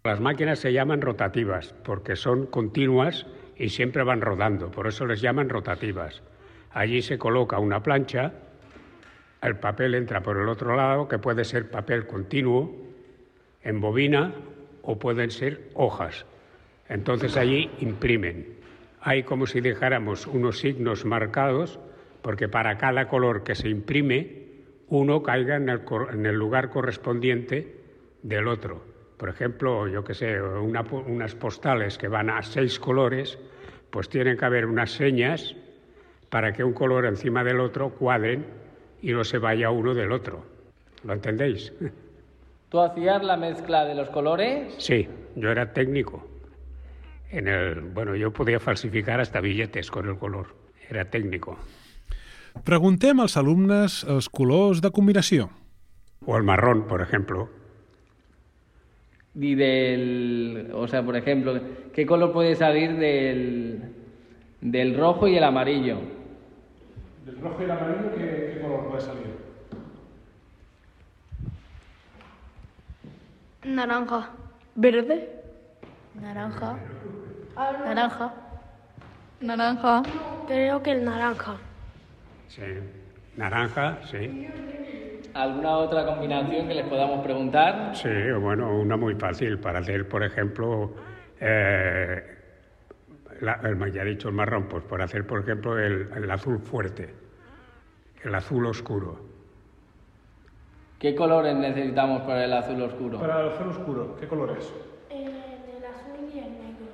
Las máquinas se llaman rotativas porque son continuas y siempre van rodando, por eso les llaman rotativas. Allí se coloca una plancha, el papel entra por el otro lado, que puede ser papel continuo, en bobina, o pueden ser hojas. Entonces allí imprimen. Hay como si dejáramos unos signos marcados, porque para cada color que se imprime, uno caiga en el lugar correspondiente del otro. Por ejemplo, yo qué sé, unas postales que van a 6 colores, pues tienen que haber unas señas para que un color encima del otro cuadren y no se vaya uno del otro. ¿Lo entendéis? ¿Tú hacías la mezcla de los colores? Sí, yo era técnico. Yo podía falsificar hasta billetes con el color. Era técnico. Preguntem als alumnes els colors de combinació. O el marrón, por ejemplo. Y por ejemplo, ¿qué color puede salir del rojo y el amarillo? Del rojo y el amarillo, ¿qué color puede salir? Naranja. Verde. Naranja. Naranja. Naranja. Creo que el naranja. Sí, naranja, sí. ¿Alguna otra combinación que les podamos preguntar? Sí, bueno, una muy fácil para hacer, por ejemplo, ya he dicho el marrón, pues para hacer, por ejemplo, el azul fuerte, el azul oscuro. ¿Qué colores necesitamos para el azul oscuro? Para el azul oscuro, ¿qué color es? El azul y el negro.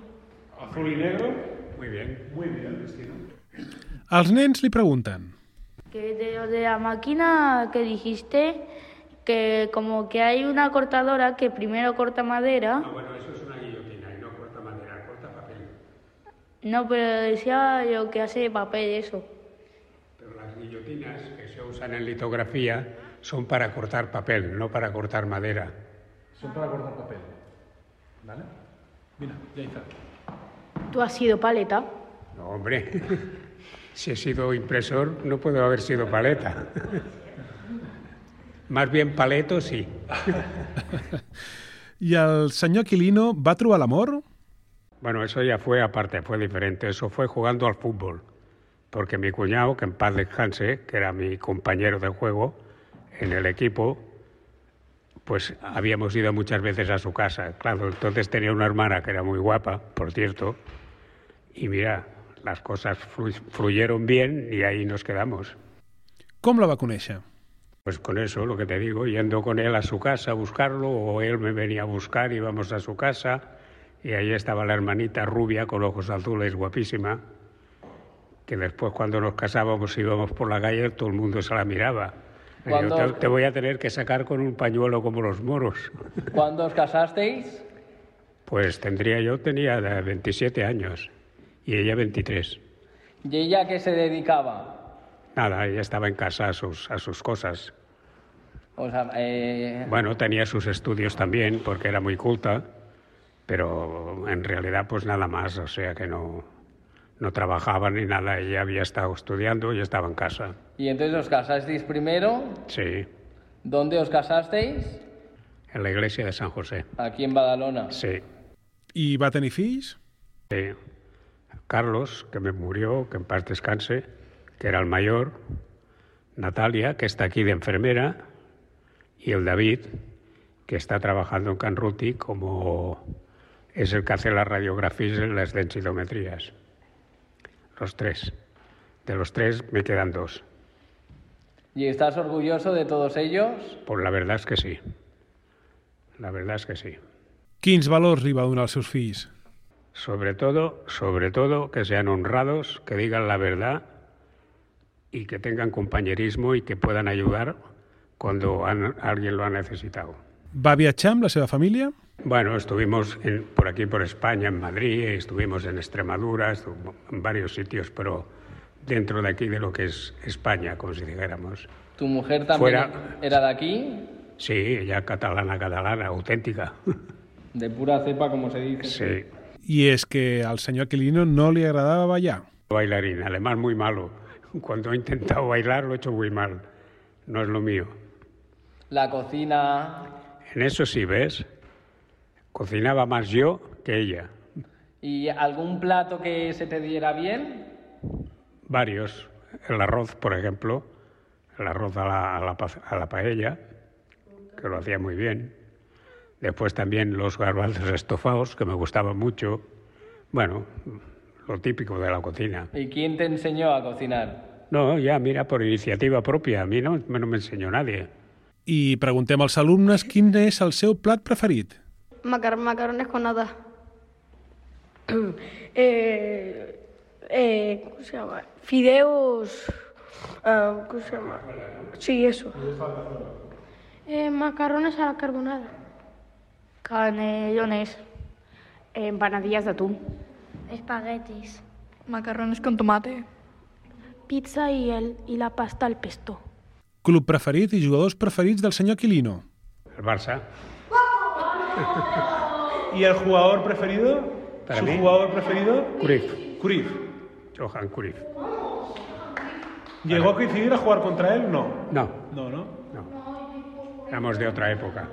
Azul y negro. Muy bien. Muy bien, Cristina. Els nens li pregunten. Que de la máquina que dijiste, que como que hay una cortadora que primero corta madera. No, bueno, eso es una guillotina y no corta madera, corta papel. No, pero decía yo que hace papel eso. Pero las guillotinas que se usan en litografía son para cortar papel, no para cortar madera. Son para cortar papel. ¿Vale? Mira, ya está. ¿Tú has sido paleta? No, hombre. Si he sido impresor, no puedo haber sido paleta. Más bien paleto, sí. ¿Y el señor Aquilino va trobar l'amor? Bueno, eso ya fue aparte, fue diferente. Eso fue jugando al fútbol. Porque mi cuñado, que en paz descanse, que era mi compañero de juego en el equipo, pues habíamos ido muchas veces a su casa. Claro, entonces tenía una hermana que era muy guapa, por cierto, y mira, las cosas fluyeron bien y ahí nos quedamos. ¿Com la va conèixer? Pues con eso, lo que te digo, yendo con él a su casa a buscarlo, o él me venía a buscar, íbamos a su casa, y ahí estaba la hermanita rubia con ojos azules, guapísima, que después cuando nos casábamos íbamos por la calle, todo el mundo se la miraba. Yo te voy a tener que sacar con un pañuelo como los moros. ¿Cuándo os casasteis? Pues tenía 27 años. Y ella 23. ¿Y ella a qué se dedicaba? Nada, ella estaba en casa a sus cosas. O sea, Bueno, tenía sus estudios también, porque era muy culta, pero en realidad pues nada más, o sea que no trabajaba ni nada, ella había estado estudiando y estaba en casa. ¿Y entonces os casasteis primero? Sí. ¿Dónde os casasteis? En la iglesia de San José. Aquí en Badalona. Sí. I va tenir fills? Sí. Carlos, que me murió, que en paz descanse, que era el mayor, Natalia, que está aquí de enfermera, y el David, que está trabajando en Can Ruti como es el que hace las radiografías y las densitometrías. Los 3. De los 3 me quedan 2. ¿Y estás orgulloso de todos ellos? Pues la verdad es que sí. La verdad es que sí. Quins valors li va donar als seus fills? Sobre todo, que sean honrados, que digan la verdad y que tengan compañerismo y que puedan ayudar cuando alguien lo ha necesitado. Va viatjar amb la seva família? Bueno, estuvimos por aquí, por España, en Madrid, estuvimos en Extremadura, en varios sitios, pero dentro de aquí de lo que es España, como si dijéramos. ¿Tu mujer también era de aquí? Sí, ella catalana, auténtica. De pura cepa, como se dice. Sí. Y es que al señor Aquilino no le agradaba bailar. Bailarín, además muy malo. Cuando he intentado bailar lo he hecho muy mal. No es lo mío. La cocina... En eso sí, ¿ves? Cocinaba más yo que ella. ¿Y algún plato que se te diera bien? Varios. El arroz, por ejemplo. El arroz a la paella, que lo hacía muy bien. Después también los garbanzos estofados, que me gustaban mucho. Bueno, lo típico de la cocina. ¿Y quién te enseñó a cocinar? No, ya, mira, por iniciativa propia. A mi no me enseñó nadie. I preguntem als alumnes quin és el seu plat preferit. Macarrones con nata. ¿Cómo se llama? Fideos. ¿Cómo se llama? Sí, eso. Macarrones a la carbonara. Canelones. Empanadillas de atún. Espaguetis. Macarrones con tomate. Pizza y la pasta al pesto. Club preferit i jugadors preferits del senyor Aquilino. El Barça. ¿Y el jugador preferido? Para ¿Su mí, jugador preferido? Cruyff. Johan Cruyff. ¿Llegó a coincidir a jugar contra él? No. No. No. Éramos de otra época.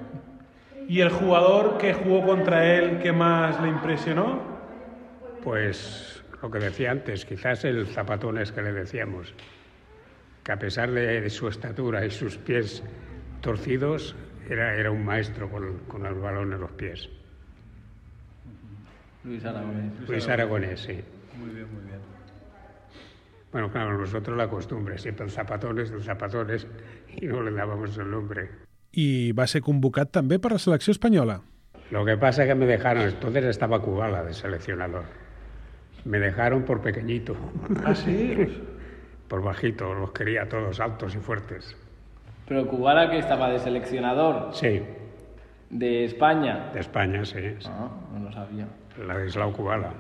¿Y el jugador que jugó contra él que más le impresionó? Pues lo que decía antes, quizás el Zapatones que le decíamos, que a pesar de su estatura y sus pies torcidos, era un maestro con el balón en los pies. Luis Aragonés. Luis Aragonés, sí. Muy bien. Bueno, claro, nosotros la costumbre, siempre el Zapatones, y no le dábamos el nombre. I va ser convocat també per la selecció espanyola. Lo que pasa es que me dejaron, entonces estaba Kubala de seleccionador. Me dejaron por pequeñito. ¿Ah, sí? Por bajito, los quería a todos altos y fuertes. ¿Pero Kubala que estaba de seleccionador? Sí. ¿De España? De España, sí. Ah, no lo sabía. Ladislao Kubala.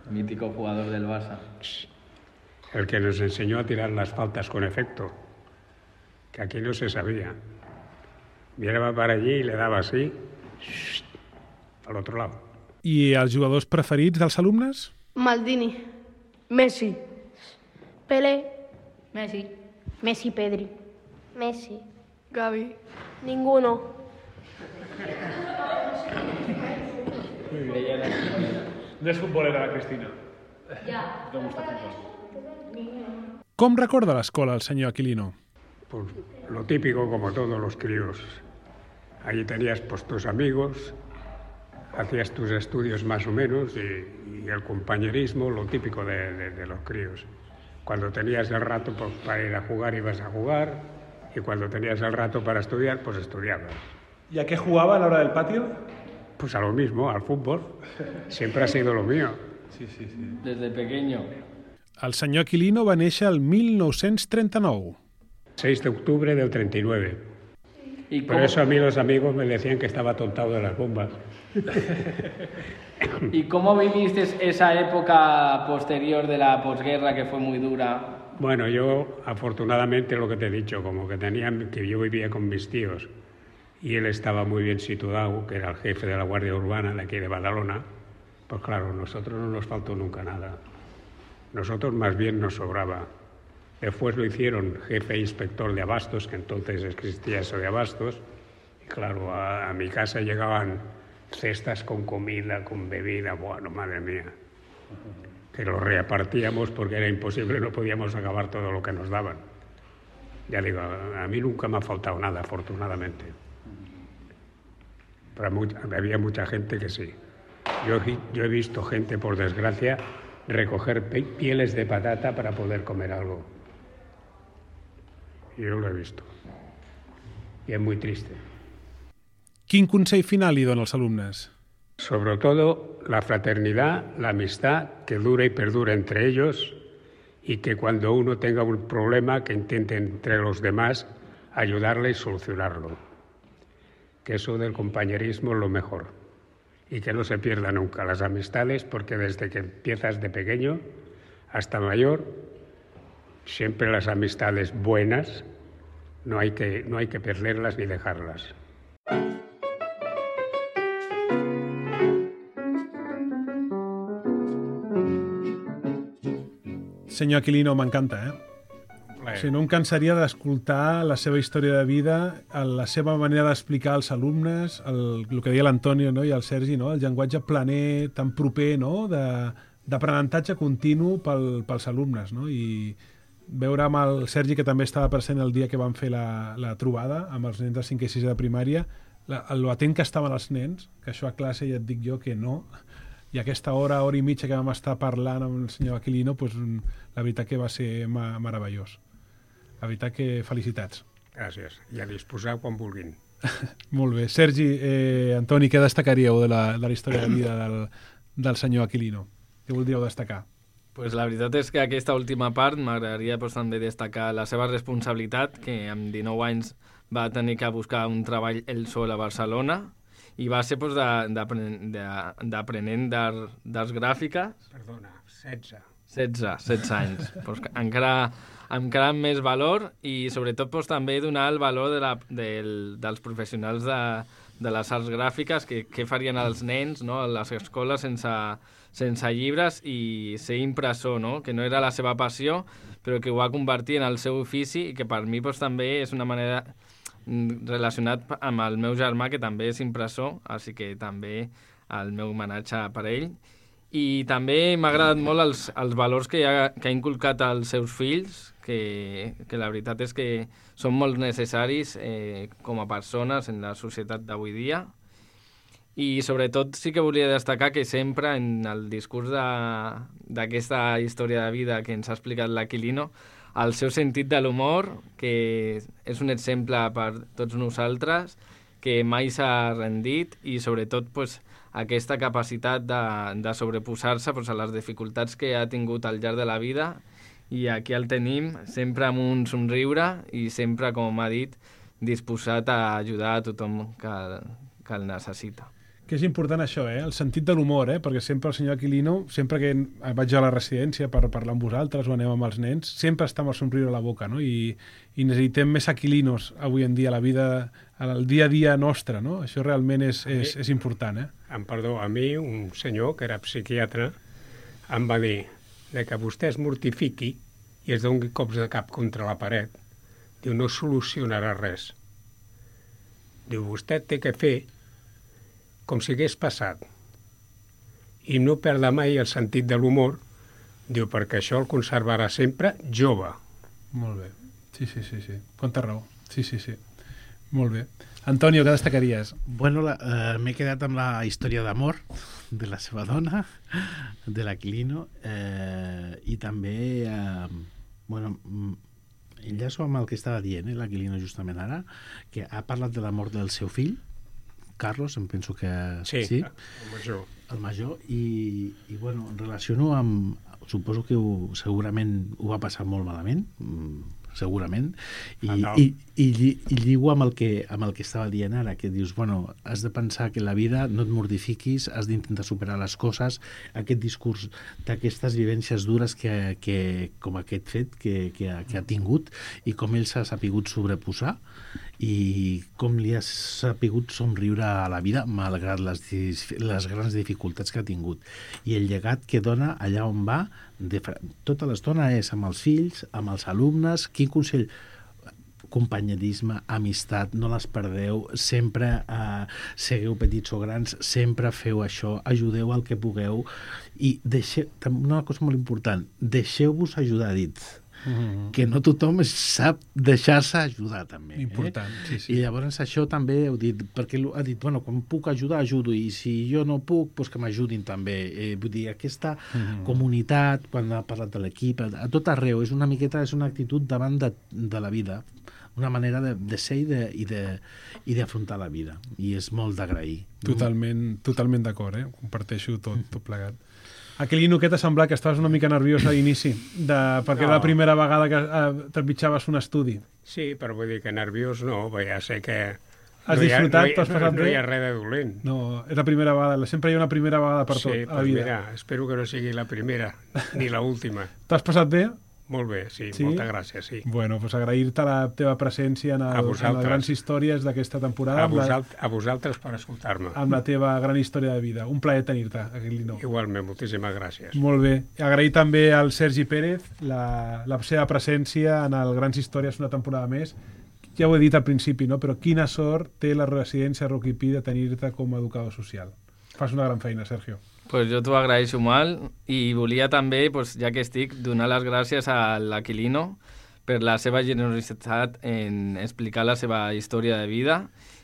Mítico jugador del Barça. El que nos enseñó a tirar las faltas con efecto, que aquí no se sabía. Miraba para allí y le daba así, al otro lado. I els jugadors preferits dels alumnes? Maldini. Messi. Pelé. Messi. Pedri. Messi. Gavi. Ninguno. No és futbolera, la Cristina. Ja. No gusta futbol. Com recorda l'escola el senyor Aquilino? Pues lo típico como todos los críos. Allí tenías pues tus amigos, hacías tus estudios más o menos y el compañerismo, lo típico de los críos. Cuando tenías el rato pues, para ir a jugar, ibas a jugar, y cuando tenías el rato para estudiar, pues estudiabas. ¿Y a qué jugaba a la hora del patio? Pues a lo mismo, al fútbol. Siempre ha sido lo mío. Sí. Desde pequeño. El senyor Aquilino va néixer el 1939. 6 de octubre del 39. ¿Y Por eso a mí los amigos me decían que estaba tontado de las bombas. ¿Y cómo viviste esa época posterior de la posguerra que fue muy dura? Bueno, yo afortunadamente lo que te he dicho, como que yo vivía con mis tíos y él estaba muy bien situado, que era el jefe de la Guardia Urbana de aquí de Badalona, pues claro, nosotros no nos faltó nunca nada. Nosotros más bien nos sobraba. Después lo hicieron jefe e inspector de abastos, que entonces existía eso de abastos, y claro, a mi casa llegaban cestas con comida, con bebida, bueno, madre mía, que lo repartíamos porque era imposible, no podíamos acabar todo lo que nos daban. Ya digo, a mí nunca me ha faltado nada, afortunadamente. Pero había mucha gente que sí. Yo he visto gente, por desgracia, recoger pieles de patata para poder comer algo. Yo lo he visto. Y es muy triste. Quin consell final li dona als alumnes? Sobre todo la fraternidad, la amistad que dura y perdura entre ellos y que cuando uno tenga un problema que intente entre los demás ayudarle y solucionarlo. Que eso del compañerismo es lo mejor y que no se pierda nunca las amistades porque desde que empiezas de pequeño hasta mayor siempre las amistades buenas no hay que perderlas ni dejarlas. senyor Aquilino, m'encanta, O sigui, no em cansaria d'escoltar la seva història de vida, la seva manera d'explicar als alumnes, el que deia l'Antonio, no? I el Sergi, no? El llenguatge planer, tan proper, no? D'aprenentatge continu pels alumnes, no? I veure amb el Sergi, que també estava present el dia que vam fer la trobada amb els nens de 5 i 6 de primària, lo atent que estaven els nens, que això a classe ja et dic jo que no, i aquesta hora i mitja que vam estar parlant amb el senyor Aquilino, pues, la veritat que va ser meravellós. La veritat que felicitats. Gràcies. I a disposar quan vulguin. Molt bé. Sergi, Antoni, què destacaríeu de la història de vida del senyor Aquilino? Què voldríeu destacar? Pues la veritat és que aquesta última part m'agradaria també destacar la seva responsabilitat, que amb 19 anys va tenir que buscar un treball ell sol a Barcelona i va ser d'aprenent d'arts gràfiques. Perdona, 16. 16 anys. Pues encara amb més valor i sobretot també donar el valor dels professionals de les arts gràfiques que farien els nens, no? A les escoles sense llibres i ser impressor, no? Que no era la seva passió, però que ho va convertir en el seu ofici i que per mi també és una manera relacionat amb el meu germà, que també és impressor, així que també el meu homenatge per ell. I també m'ha agradat molt els valors que ha inculcat als seus fills, que la veritat és que són molt necessaris com a persones en la societat d'avui dia. I sobretot sí que volia destacar que sempre en el discurs d'aquesta història de vida que ens ha explicat l'Aquilino, el seu sentit de l'humor, que és un exemple per tots nosaltres, que mai s'ha rendit i sobretot aquesta capacitat de sobreposar-se a les dificultats que ha tingut al llarg de la vida, i aquí el tenim sempre amb un somriure i sempre, com ha dit, disposat a ajudar a tothom que el necessita. Que és important això, el sentit de l'humor, perquè sempre el senyor Aquilino, sempre que vaig a la residència per parlar amb vosaltres o anem amb els nens, sempre està amb el somriure a la boca, no? I necessitem més Aquilinos avui en dia a la vida, al dia a dia nostre, no? Això realment és important, Perdó, a mi un senyor que era psiquiatre em va dir que vostè es mortifiqui i es doni cops de cap contra la paret. Diu, no solucionarà res. Diu, vostè té que fer com si hagués passat. I no perda mai el sentit de l'humor, diu, perquè això el conservarà sempre jove. Molt bé. Sí. Quanta raó. Sí. Molt bé. Antonio, què destacaries? Bueno, m'he quedat amb la història d'amor de la seva dona, de l'Aquilino, i també, enllaço amb el que estava dient, l'Aquilino justament ara, que ha parlat de la mort del seu fill, Carlos, em penso que sí, el major, i bueno, relaciono amb, suposo que segurament ho va passar molt malament, segurament, i lligo amb el que estava dient ara, que dius, bueno, has de pensar que la vida no et mortifiquis, has d'intentar superar les coses, aquest discurs d'aquestes vivències dures com aquest fet que ha tingut i com ell s'ha sapigut sobreposar i com li ha sapigut somriure a la vida malgrat les grans dificultats que ha tingut. I el llegat que dona allà on va, tota l'estona és amb els fills, amb els alumnes. Quin consell? Companyerisme, amistat, no les perdeu, sempre segueu petits o grans, sempre feu això, ajudeu el que pugueu i una cosa molt important, deixeu-vos ajudar, dit. Que no tothom sap deixar-se ajudar també. Important, sí. I llavors això també heu dit, perquè ha dit, bueno, quan puc ajudar, ajudo, i si jo no puc, doncs que m'ajudin també. Vull dir, aquesta comunitat, quan ha parlat de l'equip, a tot arreu, és una miqueta, és una actitud davant de la vida, una manera de ser i d'afrontar la vida, i és molt d'agrair. Totalment d'acord, comparteixo tot plegat. Aquilino, què t'ha semblat? Que estaves una mica nerviós a l'inici, perquè era la primera vegada que trepitjaves un estudi. Sí, però vull dir que nerviós no, ja sé que has disfrutat, t'has passat bé? No hi ha res de dolent. No, és la primera vegada, sempre hi ha una primera vegada per tot a la vida. Sí, mira, espero que no sigui la primera, ni l'última. T'has passat bé? Molt bé, sí, moltes gràcies, sí. Bueno, doncs agrair-te la teva presència en les grans històries d'aquesta temporada. A vosaltres per escoltar-me. Amb la teva gran història de vida. Un plaer tenir-te, Aquilino. Igualment, moltíssimes gràcies. Molt bé. Agrair també al Sergi Pérez la seva presència en el Grans Històries una temporada més. Ja ho he dit al principi, no? Però quina sort té la residència Rocky Pi de tenir-te com a educador social. Fas una gran feina, Sergio. Pues jo t'ho agraeixo molt i volia també, pues, ja que estic, donar les gràcies a l'Aquilino per la seva generositat en explicar la seva història de vida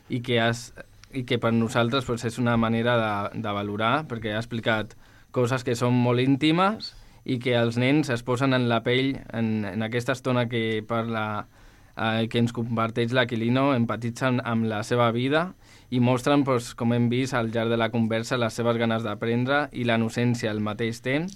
i que per nosaltres pues, és una manera de valorar, perquè ha explicat coses que són molt íntimes i que els nens es posen en la pell en aquesta estona que parla, que ens comparteix l'Aquilino, empatitzen amb la seva vida i mostren, doncs, com hem vist al llarg de la conversa, les seves ganes d'aprendre i la innocència al mateix temps,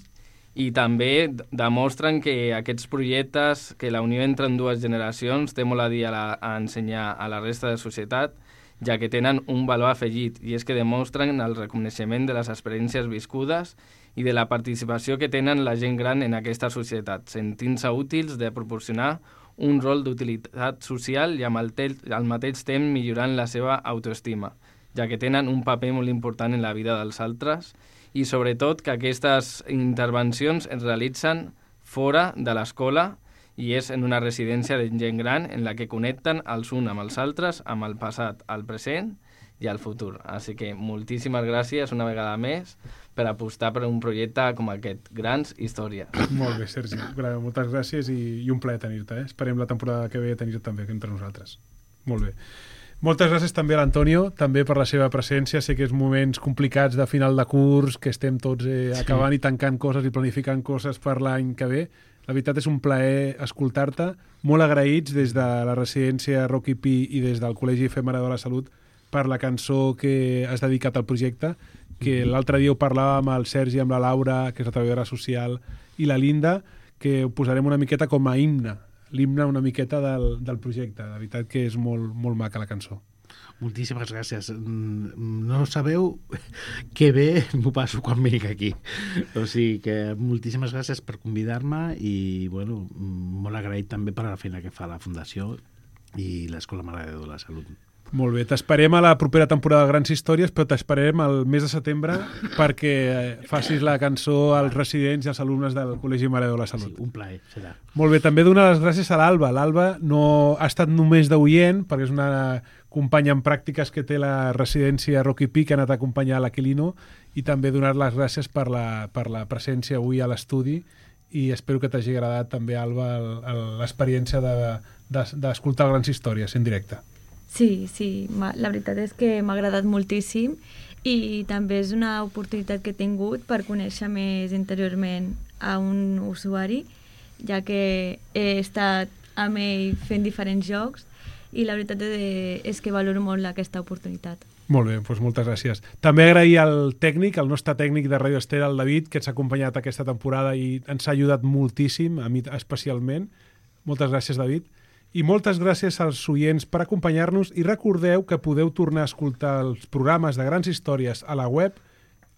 i també demostren que aquests projectes, que la unió entre dues generacions té molt a dir a ensenyar a la resta de societat, ja que tenen un valor afegit, i és que demostren el reconeixement de les experiències viscudes i de la participació que tenen la gent gran en aquesta societat, sentint-se útils de proporcionar un rol d'utilitat social i al mateix temps millorant la seva autoestima, ja que tenen un paper molt important en la vida dels altres i sobretot que aquestes intervencions es realitzen fora de l'escola i és en una residència de gent gran en la que connecten els uns amb els altres, amb el passat, el present i el futur. Així que moltíssimes gràcies una vegada més per apostar per un projecte com aquest, Grans Històries. Molt bé, Sergi. Moltes gràcies i un plaer tenir-te. Esperem la temporada que ve tenir-te també entre nosaltres. Molt bé. Moltes gràcies també a l'Antonio, també per la seva presència. Sé que és moments complicats de final de curs, que estem tots acabant i tancant coses i planificant coses per l'any que ve. La veritat és un plaer escoltar-te. Molt agraïts des de la residència Rocky Pi i des del Col·legi Efemera de la Salut per la cançó que has dedicat al projecte, que l'altre dia ho parlàvem amb el Sergi, amb la Laura, que és la treballadora social, i la Linda, que ho posarem una miqueta com a himne, l'himne una miqueta del projecte. La veritat que és molt, molt maca la cançó. Moltíssimes gràcies. No sabeu que bé m'ho passo quan vinc aquí. O sigui que moltíssimes gràcies per convidar-me i bueno, molt agraït també per la feina que fa la Fundació i l'Escola Mare de Déu de la Salut. Molt bé, t'esperem a la propera temporada de Grans Històries, però t'esperem al mes de setembre perquè facis la cançó als residents i als alumnes del Col·legi Mare de Déu de la Salut. Sí, un plaer, serà. Molt bé, també donar les gràcies a l'Alba. L'Alba no ha estat només d'oient, perquè és una companya en pràctiques que té la residència Rocky Pi, que ha anat a acompanyar l'Aquilino, i també donar les gràcies per la presència avui a l'estudi, i espero que t'hagi agradat també, Alba, l'experiència d'escoltar Grans Històries en directe. Sí, la veritat és que m'ha agradat moltíssim i també és una oportunitat que he tingut per conèixer més interiorment a un usuari, ja que he estat amb ell fent diferents jocs i la veritat és que valoro molt aquesta oportunitat. Molt bé, doncs moltes gràcies. També agrair al tècnic, al nostre tècnic de Radio Estera, el David, que ens ha acompanyat aquesta temporada i ens ha ajudat moltíssim, a mi especialment. Moltes gràcies, David. I moltes gràcies als oients per acompanyar-nos i recordeu que podeu tornar a escoltar els programes de Grans Històries a la web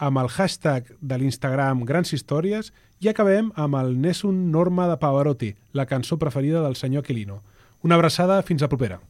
amb el hashtag de l'Instagram Grans Històries i acabem amb el Nessun Norma de Pavarotti, la cançó preferida del senyor Aquilino. Una abraçada, fins la propera.